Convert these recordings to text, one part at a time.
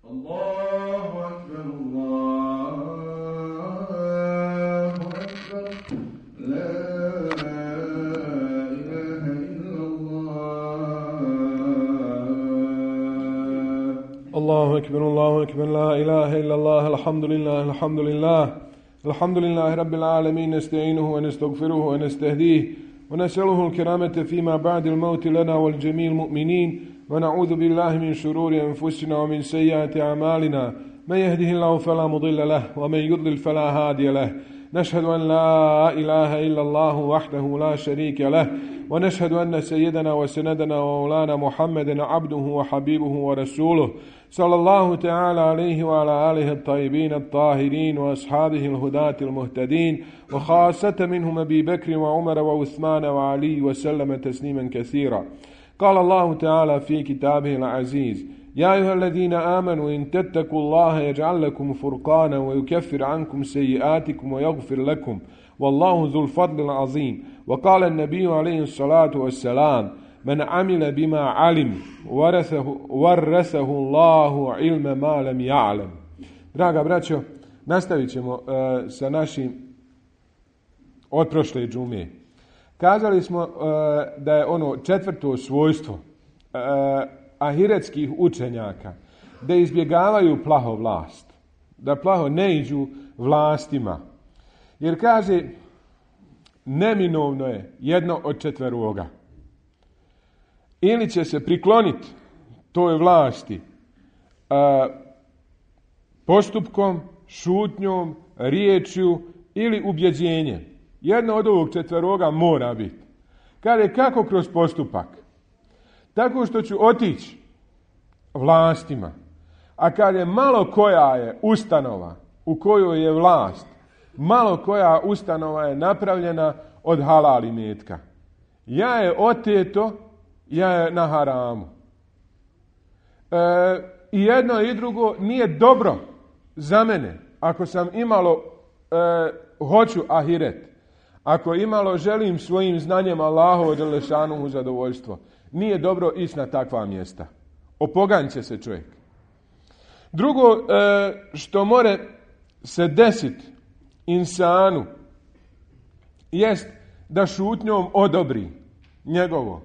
Allahu akbar, Allahu akbar, la ilaha illallah. Allahu akbar, Allahu akbar, la ilaha illallah, alhamdulillah, alhamdulillah. الحمد لله رب العالمين نستعينه ونستغفره ونستهديه ونسأله الكرامة فيما بعد الموت لنا والجميع المؤمنين ونعوذ بالله من شرور أنفسنا ومن سيئات أعمالنا من يهده الله فلا مضل له ومن يضلل فلا هادي له نشهد أن لا إله إلا الله وحده لا شريك له ونشهد أن سيدنا وسندنا ومولانا محمدا عبده وحبيبه ورسوله صلى الله تعالى عليه وعلى آله الطيبين الطاهرين وأصحابه الهداة المهتدين وخاصة منهم أبي بكر وعمر وعثمان وعلي وسلم تسليما كثيرا. قال الله تعالى في كتابه العزيز: يا أيها الذين آمنوا إن تتقوا الله يجعل لكم فرقانا ويكفر عنكم سيئاتكم ويغفر لكم والله ذو الفضل العظيم. وقال النبي عليه الصلاة والسلام: من عمل بما علم ورثه الله علم ما لم يعلم. Draga braćo, nastavit ćemo sa našim od prošle džume. Kazali smo da je ono četvrto svojstvo ahiretskih učenjaka da izbjegavaju plaho vlast, da plaho ne iđu vlastima. Jer kaže, neminovno je jedno od četveroga. Ili će se prikloniti toj vlasti postupkom, šutnjom, riječju ili ubjeđenjem. Jedno od ovog četveroga mora biti. Kaže, kako kroz postupak? Tako što ću otići vlastima. A kad je malo koja je ustanova u kojoj je vlast, malo koja ustanova je napravljena od halal imetka. Ja je oteto, ja je na haramu. I jedno i drugo nije dobro za mene. Ako sam imalo hoću ahiret, ako imalo želim svojim znanjem Allahovo dželešanuhu zadovoljstvo, nije dobro ići na takva mjesta. Opoganit će se čovjek. Drugo što more se desiti insanu jest da šutnjom odobri njegovo.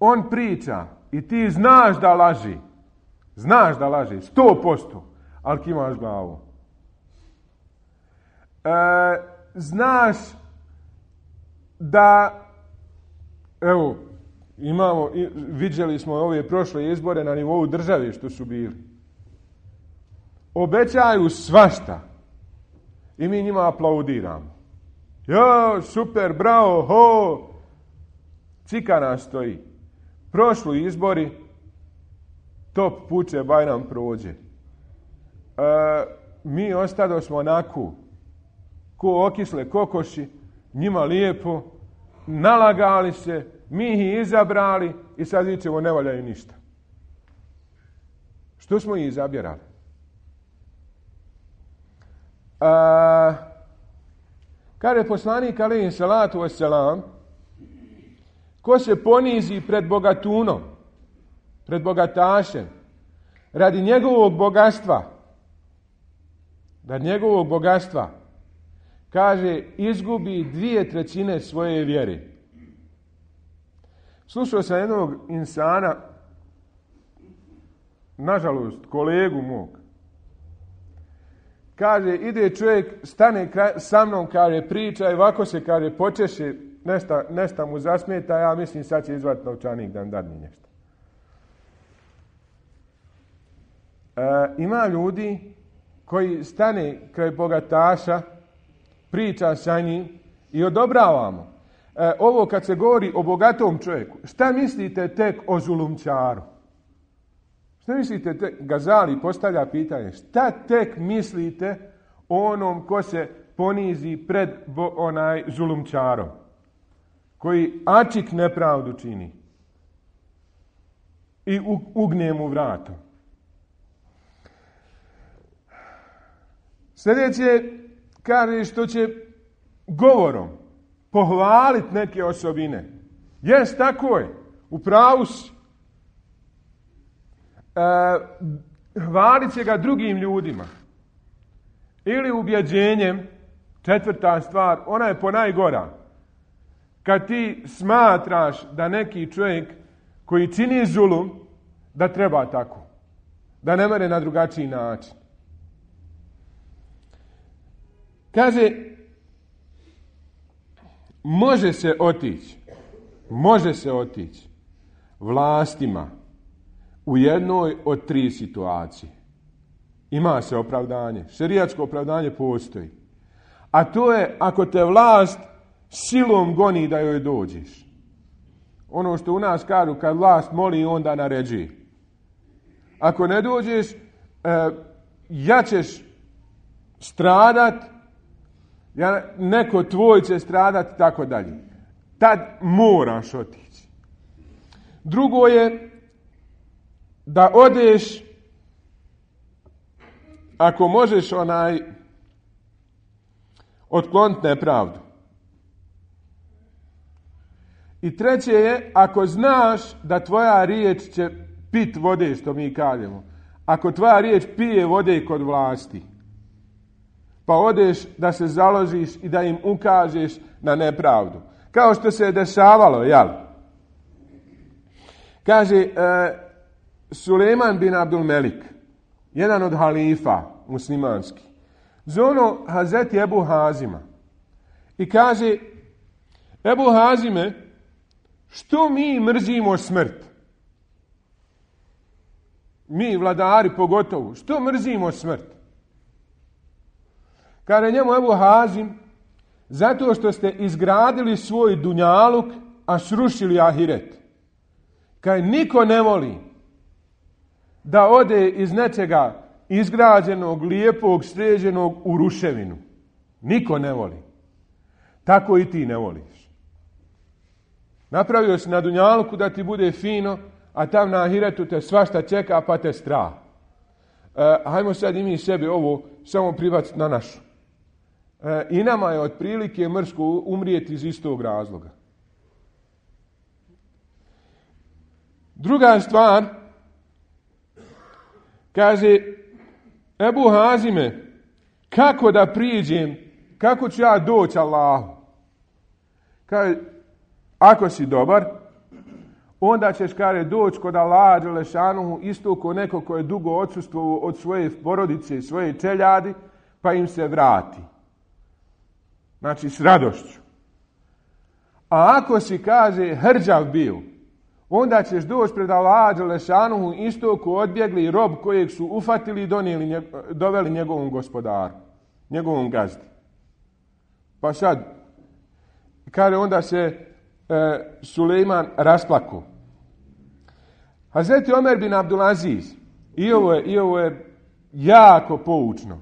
On priča i ti znaš da laži. Znaš da laži, 100%, ali kimaš glavu. Znaš da, evo, vidjeli smo ove prošle izbore na nivou države što su bili. Obećaju svašta i mi njima aplaudiramo. Jo, super, bravo, ho! Cika nas stoji. Prošli izbori, top puče, Bajram prođe. Mi ostado smo onako, ko okisle kokoši, njima lijepo, nalagali se, mi ih izabrali i sad vićemo ne valjaju ništa. Što smo ih izabirali? Kada je poslanik alejhi salatu vesselam, ko se ponizi pred bogatunom, pred bogatašem, radi njegovog bogatstva, kaže, izgubi 2/3 svoje vjere. Slušao sam jednog insana, nažalost, kolegu mog. Kaže, ide čovjek, stane sa mnom, kaže, priča i ovako se, kaže, počeše, nešta mu zasmeta, ja mislim sad će izvati novčanik da nam dadne nešto. Ima ljudi koji stane kraj bogataša, priča sa njim i odobravamo. Ovo kad se govori o bogatom čovjeku, šta mislite tek o zulumčaru? Šta mislite tek, Gazali postavlja pitanje, šta tek mislite o onom ko se ponizi pred zulumčarom, koji ačik nepravdu čini i ugne mu vratom? Sljedeće kaže što će govorom pohvaliti neke osobine. Jes, tako je, u pravu si. hvalit će ga drugim ljudima. Ili ubjeđenjem, četvrta stvar, ona je ponajgora. Kad ti smatraš da neki čovjek koji čini zulum, da treba tako. Da ne mere na drugačiji način. Kaže, može se otići vlastima u jednoj od 3 situacije. Ima se opravdanje. Šerijatsko opravdanje postoji. A to je ako te vlast silom goni da joj dođeš. Ono što u nas kažu, kad vlast moli, onda naređuje. Ako ne dođeš, ja ćeš stradat, neko tvoj će stradat, tako dalje. Tad moraš otići. Drugo je da odeš, ako možeš otkloniti nepravdu. I treće je, ako znaš da tvoja riječ će pit vode, što mi kažemo. Ako tvoja riječ pije vode kod vlasti, pa odeš da se založiš i da im ukažeš na nepravdu. Kao što se je dešavalo, jel? Kaže, Sulejman bin Abdul Melik, jedan od halifa muslimanski, zovno Hazreti Ebu Hazima i kaže, Ebu Hazime, što mi mrzimo smrt? Mi, vladari pogotovo, što mrzimo smrt? Kaže njemu Ebu Hazim, zato što ste izgradili svoj dunjaluk, a srušili ahiret. Kaže, niko ne voli da ode iz nečega izgrađenog, lijepog, sređenog u ruševinu. Niko ne voli. Tako i ti ne voliš. Napravio si na dunjaluku da ti bude fino, a tam na ahiretu te svašta čeka, pa te strah. Hajmo sad i mi sebi ovo samo pribaciti na našu. I nama je otprilike mrsko umrijeti iz istog razloga. Druga stvar, kaže Ebu Hazime, kako da priđem, kako ću ja doći Allahu? Kaže, ako si dobar, onda ćeš, kaže, doći kod Allaha dželešanuhu isto ko neko ko je dugo odsustvovao od svoje porodice i svoje čeljadi, pa im se vrati. Znači, s radošću. A ako si, kaže, hrđav bio, onda ćeš doći pred Allaha dželešanuhu isto ko odbjegli rob kojeg su ufatili i doveli njegovom gospodaru, njegovom gazdi. Pa sad, kaže, onda se Sulejman rasplakao. Hazreti Omer bin Abdulaziz, i ovo je jako poučno,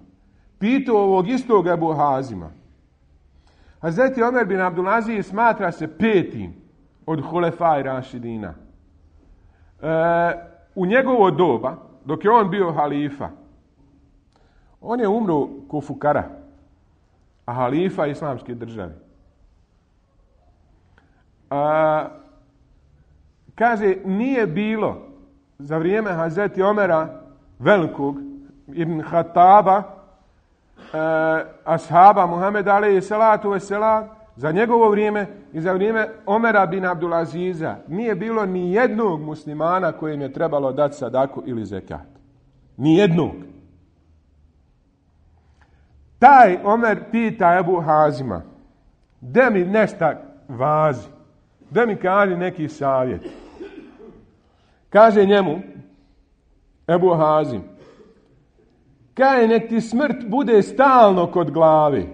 pitao ovog istog Ebu Hazima. Hazreti Omer bin Abdulaziz smatra se 5. od Hulefaj Rašidina. U njegovo doba, dok je on bio halifa, on je umro ko fukara, a halifa islamske države. Kaže, nije bilo za vrijeme Hazreti Omera velikog ibn Hataba, ashaba Muhameda alejhi salatu vesselam, za njegovo vrijeme i za vrijeme Omera bin Abdulaziza nije bilo ni jednog muslimana kojem je trebalo dati sadaku ili zekat. Ni jednog. Taj Omer pita Ebu Hazima, da mi nešto vazi, da mi kaže neki savjet. Kaže njemu Ebu Hazim, kaže, nek ti smrt bude stalno kod glave.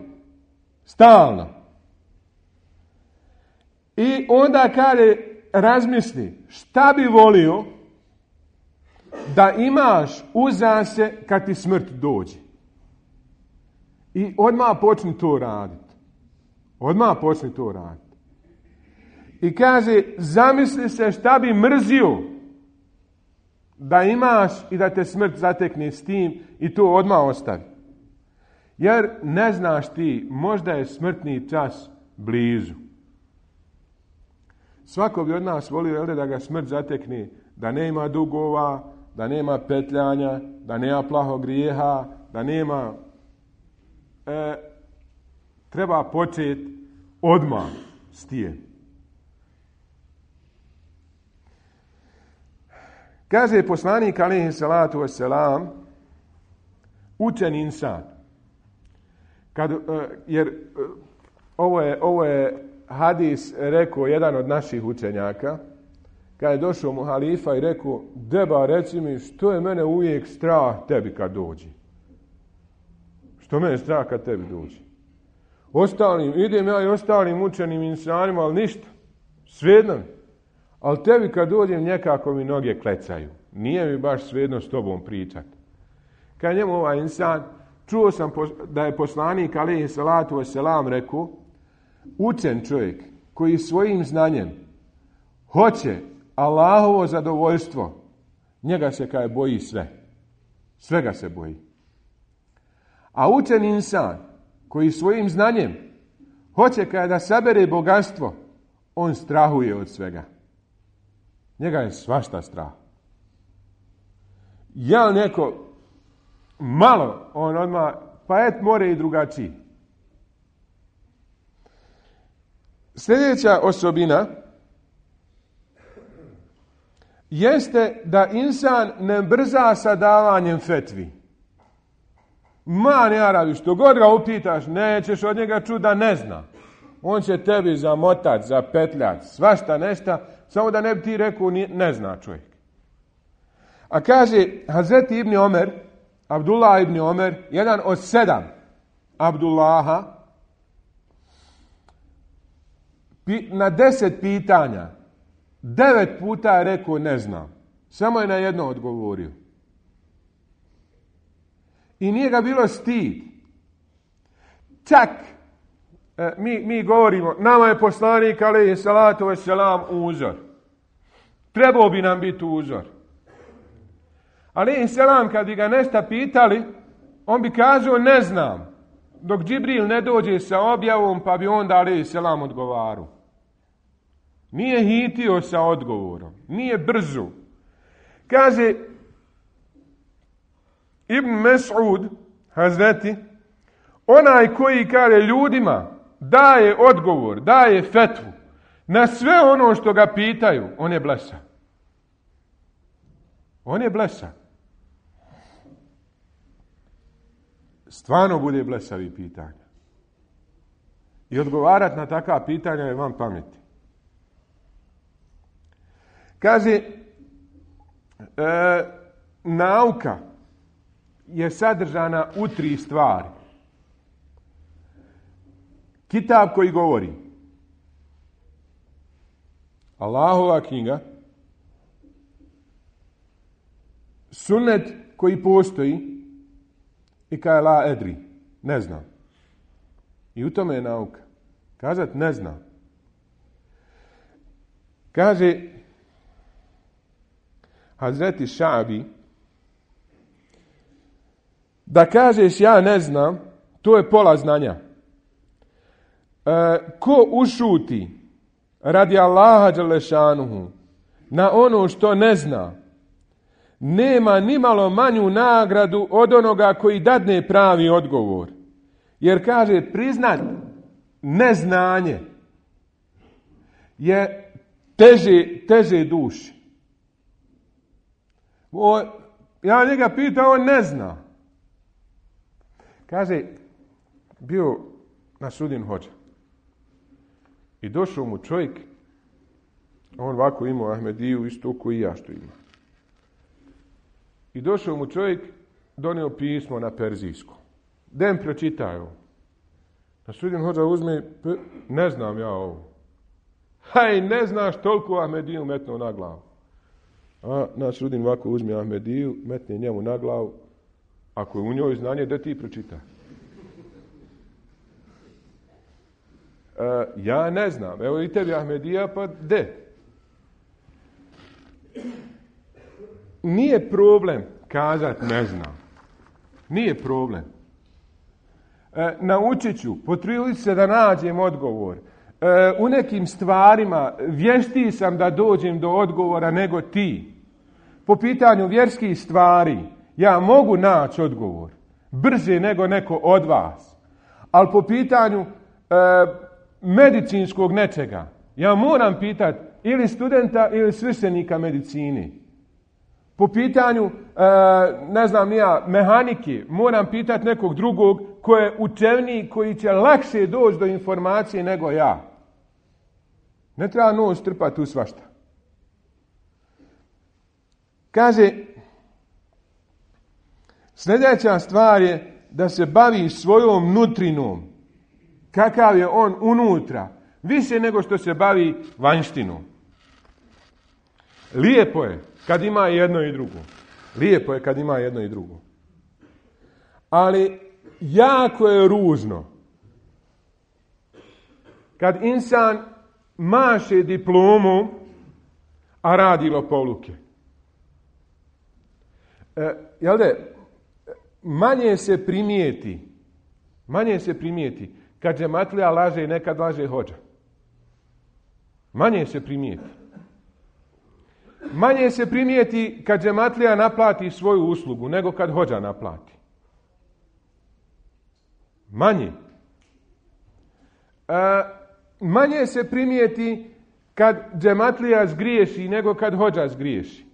Stalno. I onda, kaže, razmisli šta bi volio da imaš uza se kad ti smrt dođe. I odmah počni to raditi. Odmah počni to raditi. I kaže, zamisli se šta bi mrzio da imaš i da te smrt zatekne s tim i to odmah ostavi. Jer ne znaš ti, možda je smrtni čas blizu. Svako bi od nas volio da ga smrt zatekne, da nema dugova, da nema petljanja, da nema plahog grijeha, da nema... treba početi odmah s tijem. Kaže poslanik alejhi salatu vesselam, učen insan. Jer ovo je hadis rekao jedan od naših učenjaka, kad je došao mu halifa i rekao, deba, reci mi, što je mene uvijek strah tebi kad dođi? Što mene strah kad tebi dođi? Idem ja i ostalim učenim insanima, ali ništa. Svejedno mi. Ali tebi kad dođem, nekako mi noge klecaju. Nije mi baš svejedno s tobom pričati. Kad njemu ovaj insan, čuo sam da je poslanik alejhi salatu vesselam rekao, učen čovjek koji svojim znanjem hoće Allahovo zadovoljstvo, njega se kaj boji sve. Svega se boji. A učen insan koji svojim znanjem hoće kaj da sabere bogatstvo, on strahuje od svega. Njega je svašta strah. Ja neko malo, on odmah, pa more i drugačiji. Sljedeća osobina jeste da insan ne brza sa davanjem fetvi. Ne Arabi, što god ga upitaš, nećeš od njega čuti da ne zna. On će tebi zamotati, zapetljati, svašta nešta, samo da ne bi ti rekao ne zna čovjek. A kaže Hazreti ibn Omer, Abdullah ibn Omer, jedan od 7 Abdullaha, na 10 pitanja 9 puta je rekao ne znam. Samo je na jedno odgovorio. I nije ga bilo stid. Čak, mi govorimo, nama je poslanik alejhi salatu vesselam uzor. Trebao bi nam biti uzor. Alejhi selam kad bi ga nešto pitali, on bi kazao ne znam. Dok Džibril ne dođe sa objavom, pa bi onda alejhi selam odgovarao. Nije hitio sa odgovorom. Nije brzo. Kaže Ibn Mes'ud, Hazreti, onaj koji kaže ljudima daje odgovor, daje fetvu na sve ono što ga pitaju, on je blesav. On je blesav. Stvarno bude blesavi pitanja. I odgovarati na takva pitanja je van pameti. Kaže, nauka je sadržana u 3 stvari. Kitab koji govori, Allahova knjiga, sunnet koji postoji i kaj la edri, ne znam. I u tome je nauka. Kazat ne znam. Kaže Hazreti Šabi, da kažeš ja ne znam, to je pola znanja. Ko ušuti radi Allaha dželešanuhu na ono što ne zna, nema nimalo manju nagradu od onoga koji dadne pravi odgovor. Jer kaže, priznat neznanje je teže duši. Ja njega pitao, on ne zna. Kaže, bio na sudin hođa. I došao mu čovjek, on ovako imao Ahmediju, isto ko i ja što ima. I došao mu čovjek, donio pismo na perzijskom. Dem pročitaju. Na sudin hođa uzme, ne znam ja ovo. Haj, ne znaš toliko Ahmediju metnuo na glavu. A na sudin ovako uzme Ahmediju, metne njemu na glavu. Ako je u njoj znanje, da ti pročita. Ja ne znam. Evo i tebi Ahmedija, pa de. Nije problem kazat ne znam. Nije problem. Naučit ću, potrudit se da nađem odgovor. U nekim stvarima vještiji sam da dođem do odgovora nego ti. po pitanju vjerskih stvari ja mogu naći odgovor brže nego neko od vas. Ali po pitanju medicinskog nečega ja moram pitati ili studenta ili sveštenika medicine. Po pitanju, mehanike, moram pitati nekog drugog koji je učeniji, koji će lakše doći do informacije nego ja. Ne treba nos strpati u svašta. Kaže, sljedeća stvar je da se bavi svojom nutrinom. Kakav je on unutra. Više nego što se bavi vanjštinom. Lijepo je kad ima jedno i drugo. Lijepo je kad ima jedno i drugo. Ali jako je ružno kad insan maše diplomu, a radi lopovluke. Manje se primijeti kad džematlija laže i nekad laže hođa. Manje se primijeti. Manje se primijeti kad džematlija naplati svoju uslugu nego kad hođa naplati. Manje. Manje se primijeti kad džematlija zgriješi nego kad hođa zgriješi.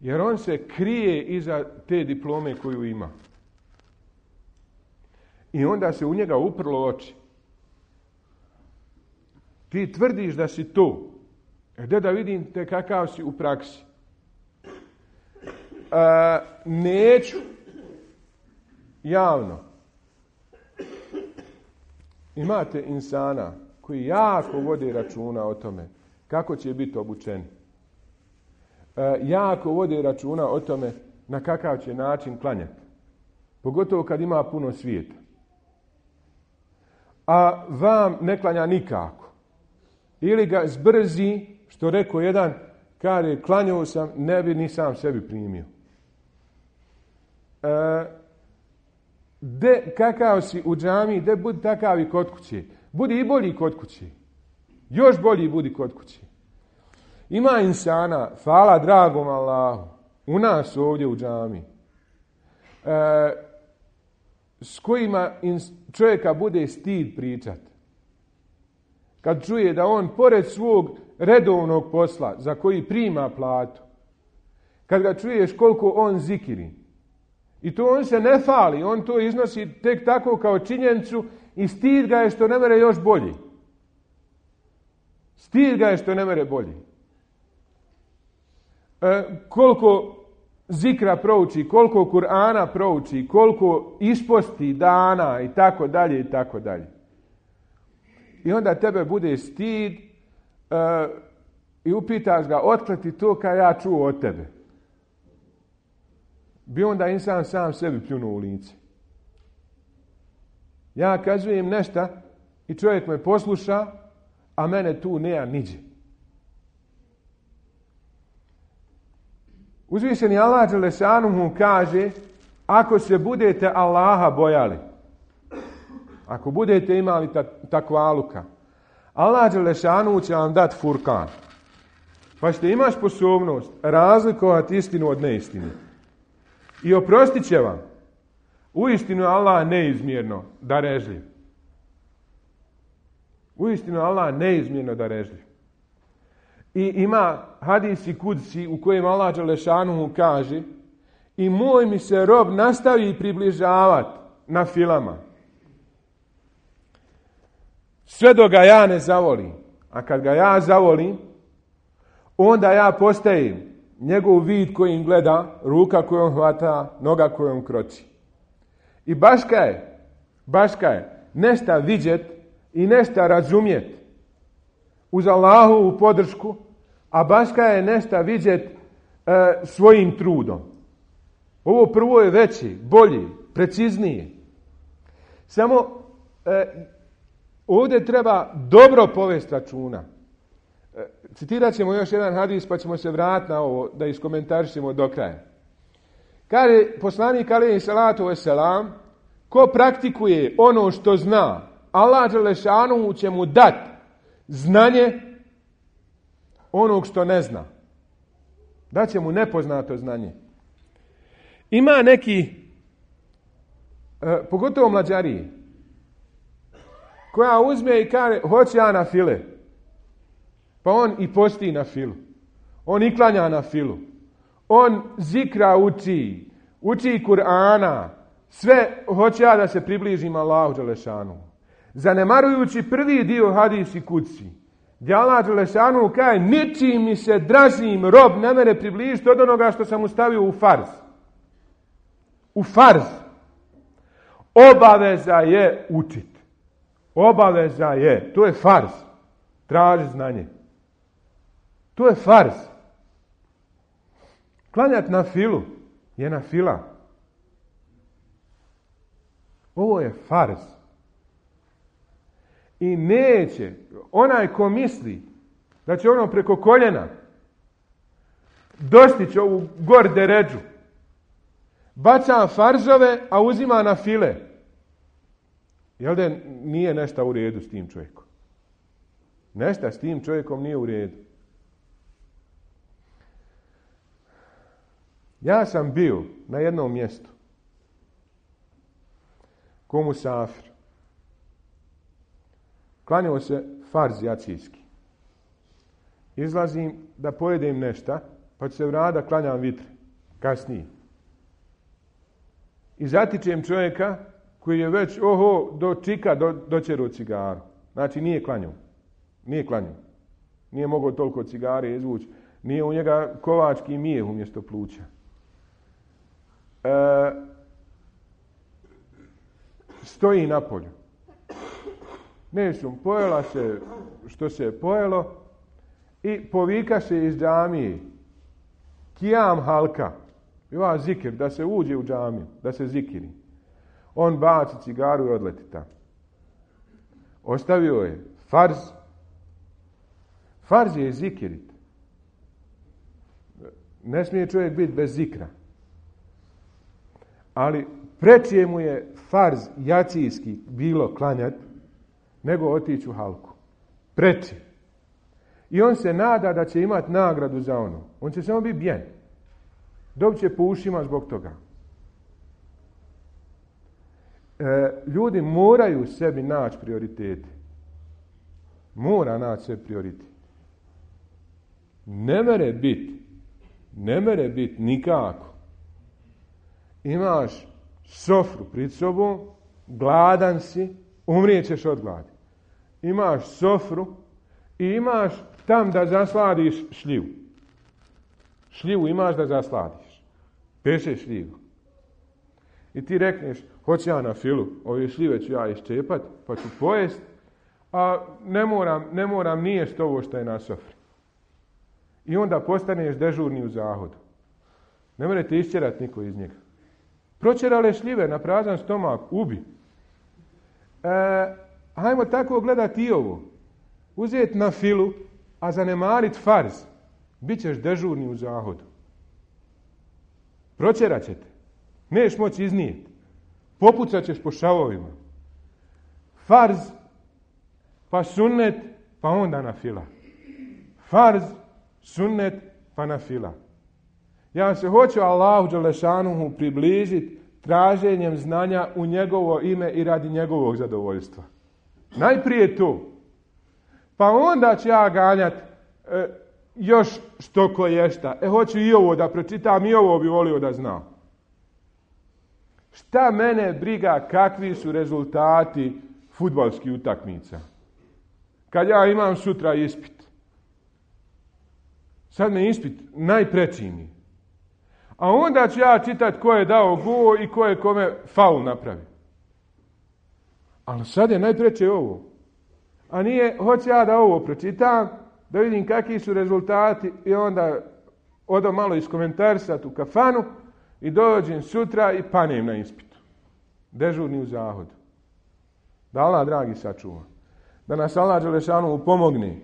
Jer on se krije iza te diplome koju ima. I onda se u njega uprlo oči. Ti tvrdiš da si to. Gdje da vidim te kakav si u praksi? Neću javno. Imate insana koji jako vode računa o tome kako će biti obučeni. Jako vode računa o tome na kakav će način klanjati. Pogotovo kad ima puno svijeta. A vam ne klanja nikako. Ili ga zbrzi, što rekao jedan, kaže, klanjao sam, ne bi ni sam sebi primio. Kakav si u džamiji, budi takav i kod kuće. Budi i bolji kod kuće. Još bolji budi kod kuće. Ima insana, hvala dragom Allahu, u nas ovdje u džamiji, s kojima čovjeka bude stid pričat. Kad čuje da on pored svog redovnog posla za koji prima platu, kad ga čuješ koliko on zikiri, i to on se ne fali, on to iznosi tek tako kao činjenicu i stid ga je što ne mere još bolji. Stid ga je što ne mere bolji. Koliko zikra prouči, koliko Kur'ana prouči, koliko isposti dana i tako dalje i tako dalje. I onda tebe bude stid i upitaš ga otkle ti to kad ja čuo od tebe. Bi onda insan sam sebi pljunuo u lice. Ja kazujem nešto i čovjek me posluša, a mene tu nema niđe. Uzvišeni Allah Đelešanuhu kaže, ako se budete Allaha bojali, ako budete imali takvaluka, Allah Đelešanuhu će vam dati furkan. Pa ćete imati sposobnost razlikovati istinu od neistine. I oprostit će vam. Uistinu Allah neizmjerno darežljiv. Uistinu Allah neizmjerno darežljiv. I ima hadisi kudsi u kojem Allah Đelešanuhu kaže, i moj mi se rob nastavi približavati na filama. Sve dok ga ja ne zavolim. A kad ga ja zavolim, onda ja postajem njegov vid kojim gleda, ruka kojom hvata, noga kojom kroči. I baška je nešta vidjet i nešta razumjet uz Allahovu podršku, a baška je nešta vidjet svojim trudom. Ovo prvo je veći, bolji, preciznije. Samo ovdje treba dobro povesti računa. Citirat ćemo još jedan hadis pa ćemo se vratiti na ovo da iskomentarišemo do kraja. Kaže poslanik alejhi salatu vesselam, ko praktikuje ono što zna, Allah Đelešanuhu će mu dati znanje onog što ne zna. Daće mu nepoznato znanje. Ima neki, pogotovo mlađariji, koja uzme i kaže, hoće ja na file. Pa on i posti na filu. On i klanja na filu. On zikra uči Kur'ana. Sve hoće ja da se približim Allahu dželešanu. Zanemarujući prvi dio hadisi kuci, gdje Allah dželešanu kaže, ničim mi se dražim rob ne mere približiti od onoga što sam mu stavio u farz. U farz. Obaveza je učiti. Obaveza je. To je farz. Traži znanje. To je farz. Klanjati na filu je na fila. Ovo je farz. I neće onaj ko misli da će ono preko koljena dostići ovu gor deređu, baca farzove, a uzima na file. Jel da nije nešto u redu s tim čovjekom? Nešto s tim čovjekom nije u redu. Ja sam bio na jednom mjestu ko musafir. Klanjao se farz jacijski. Izlazim da pojedem nešto, pa ću se vratiti da klanjam vitre. Kasnije. I zatičem čovjeka koji je već do čika dočerao cigaru. Znači nije klanjao. Nije mogao toliko cigare izvući. Nije u njega kovački mijeh umjesto pluća. Stoji na polju. Nešum, pojela se što se je pojelo i povika se iz džamije. Kijam halka. Ima zikir, da se uđe u džamiju, da se zikiri. On baci cigaru i odleti tamo. Ostavio je farz. Farz je zikirit. Ne smije čovjek biti bez zikra. Ali preče mu je farz jacijski bilo klanjat nego otići u halku. Preče. I on se nada da će imati nagradu za ono. On će samo biti bijen. Dobit će po ušima zbog toga. Ljudi moraju sebi naći prioritete. Mora naći sebi prioritet. Ne mere biti nikako. Imaš sofru pred sobom, gladan si, umrijećeš od gladi. Imaš sofru i imaš tam da zasladiš šljivu. Šljivu imaš da zasladiš. Pešeš šljivu. I ti rekneš, hoću ja na filu, ove šljive ću ja iščepat, pa ću pojest, a ne moram nijest ovo što je na sofri. I onda postaneš dežurni u zahodu. Ne morate išćerati niko iz njega. Pročerale šljive na prazan stomak, ubi. Hajmo tako gledati i ovo. Uzeti na filu, a zanemarit farz. Bićeš dežurni u zahodu. Pročerat će te. Neš moći iznijeti. Popucat ćeš po šavovima. Farz, pa sunnet, pa onda na fila. Farz, sunnet, pa na fila. Ja se hoću Allahu dželešanuhu približiti traženjem znanja u njegovo ime i radi njegovog zadovoljstva. Najprije to. Pa onda ću ja ganjati još što koješta. Hoću i ovo da pročitam, i ovo bi volio da znam. Šta mene briga kakvi su rezultati fudbalskih utakmica? Kad ja imam sutra ispit. Sad me ispit najpreći mi. A onda ću ja čitati ko je dao gol i ko je kome faul napravi. Ali sad je najpreće ovo. A nije, hoću ja da ovo pročitam, da vidim kakvi su rezultati i onda odam malo iskomentarisati u kafanu i dođem sutra i panem na ispitu. Dežurni u zahodu. Da Allah dragi sačuva. Da nas Allah dželešanu pomogne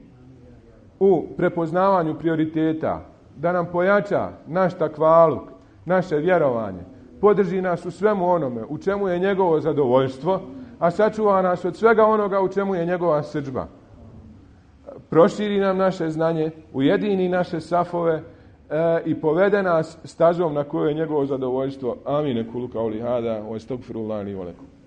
u prepoznavanju prioriteta, da nam pojača naš takvaluk, naše vjerovanje, podrži nas u svemu onome u čemu je njegovo zadovoljstvo, a sačuva nas od svega onoga u čemu je njegova srdžba. Proširi nam naše znanje, ujedini naše safove, i povede nas stazom na kojoj je njegovo zadovoljstvo. Amin. Kulu kauli hada wa astaghfirullahi li wa lakum.